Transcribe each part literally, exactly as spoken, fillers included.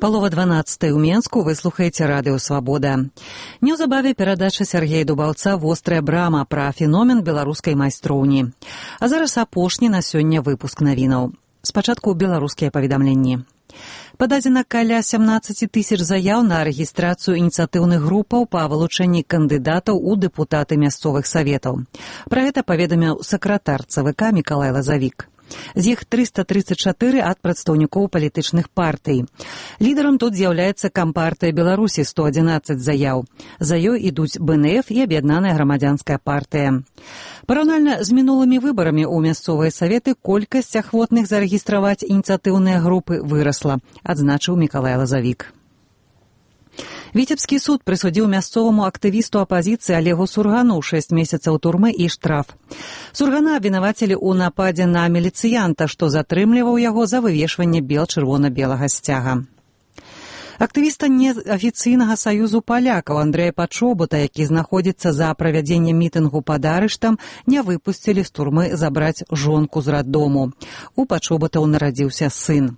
Палова дванаццатай у Менску, вы слухаеце радыё «Свабода». Неўзабаве перадача Сергея Дубаўца «Вострая брама» пра феномен беларускай майстроўні. А зараз апошні на сёння выпуск навінаў. Спачатку беларускія паведамленні. Пададзена каля сямнаццаць тысяч заяў на рэгістрацыю ініцыятыўных групаў па вылучэнні кандыдатаў у дэпутаты мясцовых саветаў. Пра гэта паведаміў сакратар ЦВК Мікалай Лазавік. З іх трыста трыццаць чатыры ад прадстаўнікоў палітычных партый. Лідарам тут з'яўляецца Кампартыя Беларусі сто адзінаццаць заяў. За ёй ідуць Бэ Эн Эф і Аб'яднаная грамадзянская партыя. Параўнальна з мінулымі выбарамі ў мясцовыя саветы колькасць ахвотных зарэгістраваць ініцыятыўныя групы вырасла, адзначыў Мікалай Лазавік. Віцебскі суд прысудзіў мясцоваму актывісту апазіцыі Алегу Сургану шэсць месяцаў турмы і штраф. Сургана абвінавацілі ў нападзе на міліцыянта, што затрымліваў яго за вывешванне бел-чырвона-белага сцяга. Актывіста неафіцыйнага саюзу палякаў Андрэя Пачобута, які знаходзіцца за правядзеннем мітынгу пад арыштам, не выпусцілі з турмы забраць жонку з раддому. У Пачобутаў нарадзіўся сын.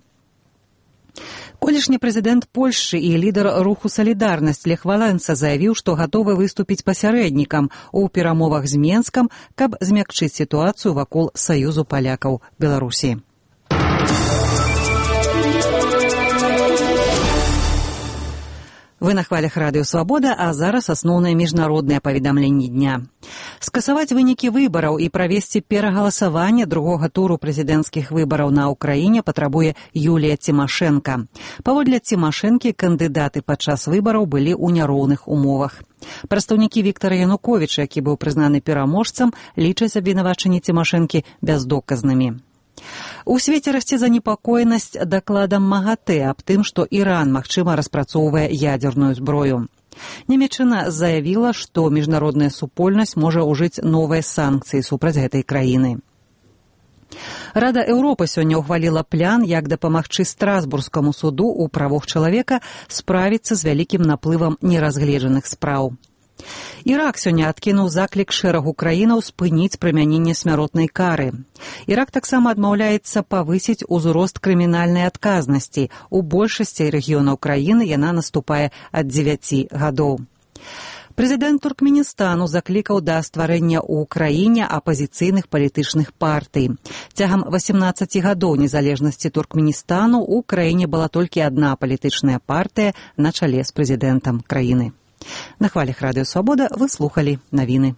Колішні прэзідэнт Польшчы і лідар руху «Салідарнасць» Лех Валенса заявіў, што гатовы выступіць пасярэднікам у перамовах з Менскам, каб змякчыць сітуацыю вакол Саюзу палякаў Беларусі. Вы на хвалях радыё «Свабода», а зараз асноўныя міжнародныя паведамленні дня. Скасаваць вынікі выбараў і правесці перагаласаванне другога туру прэзідэнцкіх выбараў на ўкраіне патрабуе Юлія Цімашэнка. Паводле Цімашэнкі, кандыдаты падчас выбараў былі ў няроўных умовах. Прадстаўнікі Віктара Януковіча, які быў прызнаны пераможцам, лічаць абвінавачанні Цімашэнкі бяздоказнымі. У свеце расце занепакоенасць дакладам МАГАТЭ аб тым, што Іран, магчыма, распрацоўвае ядзерную зброю. Нямецчына заявіла, што міжнародная супольнасць можа ўжыць новыя санкцыі супраць гэтай краіны. Рада Еўропы сёння ўхваліла план, як дапамагчы Страсбургскаму суду ў правах чалавека справіцца з вялікім наплывам неразгледжаных спраў. Ірак сёння адкінуў заклік шэрагу краінаў спыніць прымяненне смяротнай кары. Ірак таксама адмаўляецца павысіць узрост крымінальнай адказнасці. У большасці рэгіёнаў краіны яна наступае ад дзевяці гадоў. Прэзідэнт Туркменістану заклікаў да стварэння ў краіне апазіцыйных палітычных партый. Цягам васямнаццаці гадоў незалежнасці Туркменістану ў краіне была толькі адна палітычная партыя на чале з прэзідэнтам краіны. На хвалях радыё «Свабода» вы слухалі навіны.